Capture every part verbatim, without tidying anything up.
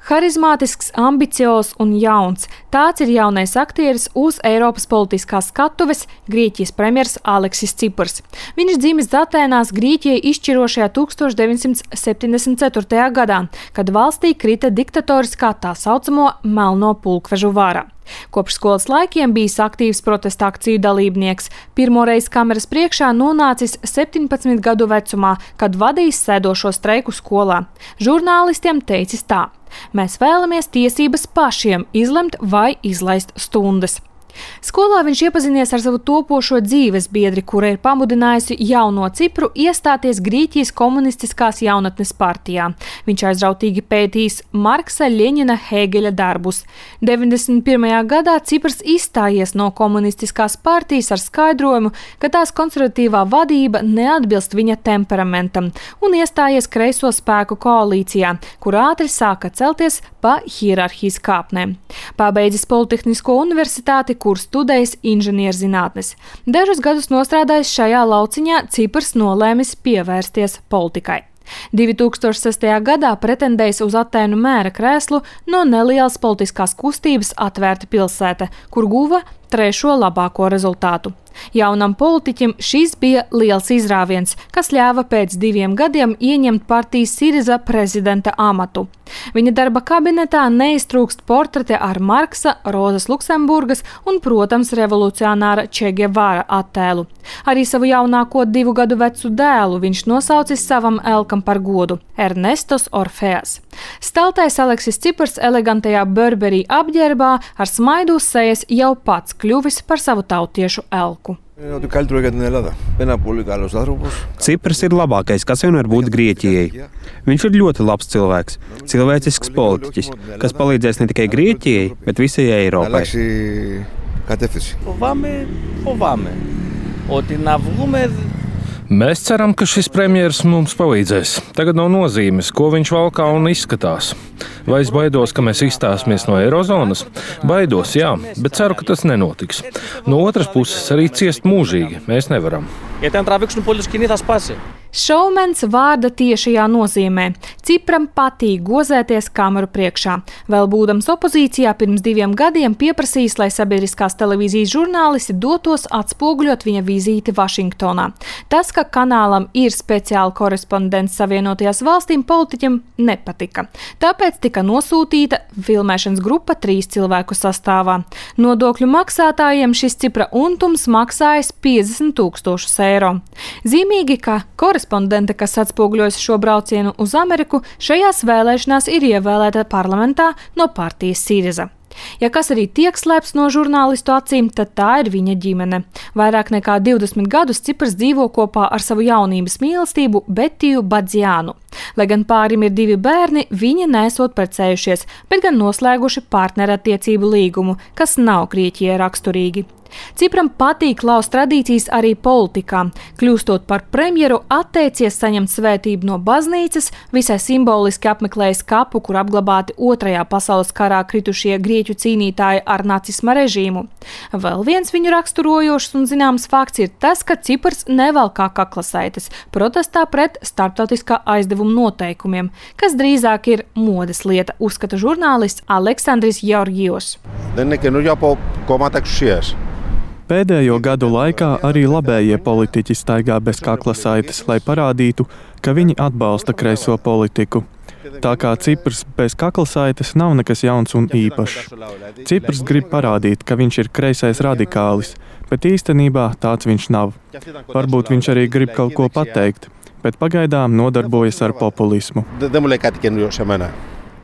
Harizmātisks, ambiciozs un jauns. Tāds ir jaunais aktieris uz Eiropas politiskās skatuves Grieķijas premjers Aleksis Cipras. Viņš dzimis Atēnās Grieķijai izšķirošajā tūkstoš deviņsimt septiņdesmit ceturtajā gadā, kad valstī krita diktatoriskā tā saucamo melno pulkvežu vara. Kopš skolas laikiem bijis aktīvs protesta akciju dalībnieks. Pirmoreiz kameras priekšā nonācis septiņpadsmit gadu vecumā, kad vadījis sēdošo streiku skolā. Žurnālistiem teicis tā: mēs vēlamies tiesības pašiem izlemt vai izlaist stundas. Skolā viņš iepazinies ar savu topošo dzīves biedri, kura ir pamudinājusi jauno Cipru iestāties Grieķijas komunistiskās jaunatnes partijā. Viņš aizrautīgi pētījis Marksa, Ļeņina, Hēgeļa darbus. deviņdesmit pirmajā gadā Ciprs izstājies no komunistiskās partijas ar skaidrojumu, ka tās konservatīvā vadība neatbilst viņa temperamentam, un iestājies kreiso spēku koalīcijā, kur ātri sāka celties pa hierarhijas kāpnēm. Pabeidzis Politehnisko universitāti, kur studējis inženierzinātnes. Dažus gadus nostrādājis šajā lauciņā, Ciprs nolēmis pievērsties politikai. divi tūkstoši sestajā gadā pretendējis uz Atēnu mēra krēslu no nelielas politiskās kustības Atvērta pilsēta, kur guva trešo labāko rezultātu. Jaunam politiķim šis bija liels izrāviens, kas ļāva pēc diviem gadiem ieņemt partijas Siriza prezidenta amatu. Viņa darba kabinetā neiztrūkst portrete ar Marksa, Rozas Luksemburgas un, protams, revolucionāra Che Guevara attēlu. Arī savu jaunāko divu gadu vecu dēlu viņš nosaucis savam elkam par godu – Ernestos Orfeas. Staltais Aleksis Cipras elegantajā Burberry apģērbā ar smaidu uz sejas jau pats kļuvis par savu tautiešu elku. Cipras ir labākais, kas vien var būt Grieķijai. Viņš ir ļoti labs cilvēks, cilvēcisks politiķis, kas palīdzēs ne tikai Grieķijai, bet visai Eiropai. Mēs ceram, ka šis premjers mums palīdzēs. Tagad nav nozīmes, ko viņš valkā un izskatās. Vai es baidos, ka mēs izstāsimies no eirozonas? Baidos, jā, bet ceru, ka tas nenotiks. No otras puses, arī ciest mūžīgi mēs nevaram. Šoumens vārda tiešajā nozīmē. Cipram patīk gozēties kameru priekšā. Vēl būdams opozīcijā pirms diviem gadiem pieprasījis, lai sabiedriskās televīzijas žurnālisti dotos atspoguļot viņa vizīti Vašingtonā. Tas, ka kanālam ir speciāli korespondents Savienotajās valstīm, politiķim nepatika. Tāpēc tika nosūtīta filmēšanas grupa trīs cilvēku sastāvā. Nodokļu maksātājiem šis Cipra untums maksājas piecdesmit tūkstošus eiro. Zīmīgi, ka korespondente, kas atspoguļojas šo braucienu uz Ameriku, šajās vēlēšanās ir ievēlēta parlamentā no partijas Siriza. Ja kas arī tiek slēpts no žurnālistu acīm, tad tā ir viņa ģimene. Vairāk nekā divdesmit gadus Ciprs dzīvo kopā ar savu jaunības mīlestību Betiju Badziānu. Lai gan pārim ir divi bērni, viņi nesot precējušies, bet gan noslēguši partnerattiecību līgumu, kas nav Grieķijai raksturīgi. Cipram patīk laust tradīcijas arī politikā. Kļūstot par premjeru, atteicies saņemt svētību no baznīcas, visai simboliski apmeklējis kapu, kur apglabāti otrajā pasaules karā kritušie grieķu cīnītāji ar nacisma režīmu. Vēl viens viņu raksturojošs un zināms fakts ir tas, ka Ciprs nevalkā kaklasaites protestā pret starptautiskā aizdevuma noteikumiem, kas drīzāk ir modes lieta, uzskata žurnālists Aleksandris Georgijos. Pēdējo gadu laikā arī labējie politiķi staigā bez kaklasaites, lai parādītu, ka viņi atbalsta kreiso politiku. Tā kā Ciprs bez kaklasaites nav nekas jauns un īpašs. Ciprs grib parādīt, ka viņš ir kreisais radikālis, bet īstenībā tāds viņš nav. Varbūt viņš arī grib kaut ko pateikt, bet pagaidām nodarbojas ar populismu.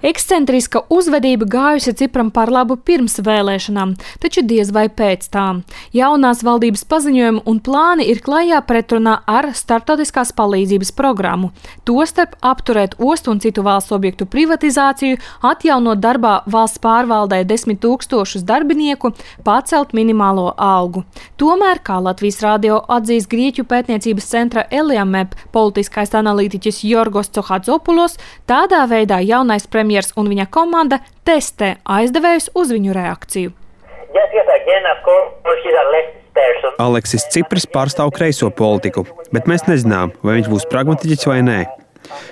Ekscentriska uzvedība gājusi Cipram par labu pirms vēlēšanām, taču diez vai pēc tām. Jaunās valdības paziņojumi un plāni ir klajā pretrunā ar starptautiskās palīdzības programmu. Tostarp apturēt ostu un citu valsts objektu privatizāciju, atjaunot darbā valsts pārvaldē desmit tūkstošus darbinieku, pacelt minimālo algu. Tomēr, kā Latvijas radio atzīst Grieķu pētniecības centra Eliamep politiskais analītiķis Jorgos Cohadzopulos, tādā veidā jaunais premjeras un viņa komanda testē aizdevējus uz viņu reakciju. Aleksis Cipras pārstāv kreiso politiku, bet mēs nezinām, vai viņš būs pragmatiķis vai nē.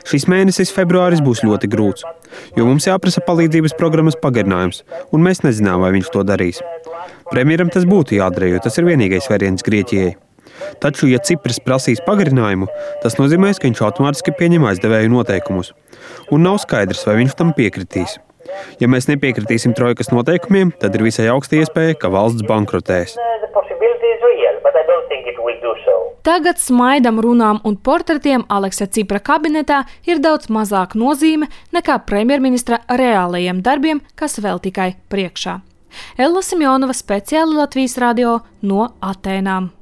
Šis mēnesis, februāris, būs ļoti grūts, jo mums jāprasa palīdzības programmas pagarinājums, un mēs nezinām, vai viņš to darīs. Premjeram tas būtu jādara, jo tas ir vienīgais variants Grieķijai. Taču, ja Cipras prasīs pagarinājumu, tas nozīmēs, ka viņš automātiski pieņem aizdevēju noteikumus. Un nav skaidrs, vai viņš tam piekritīs. Ja mēs nepiekritīsim trojkas noteikumiem, tad ir visai augsta iespēja, ka valsts bankrotēs. Tagad smaidam, runām un portretiem Aleksa Cipra kabinetā ir daudz mazāk nozīme nekā premjerministra reālajiem darbiem, kas vēl tikai priekšā. Ella Simjonova, speciāli Latvijas radio no Atēnām.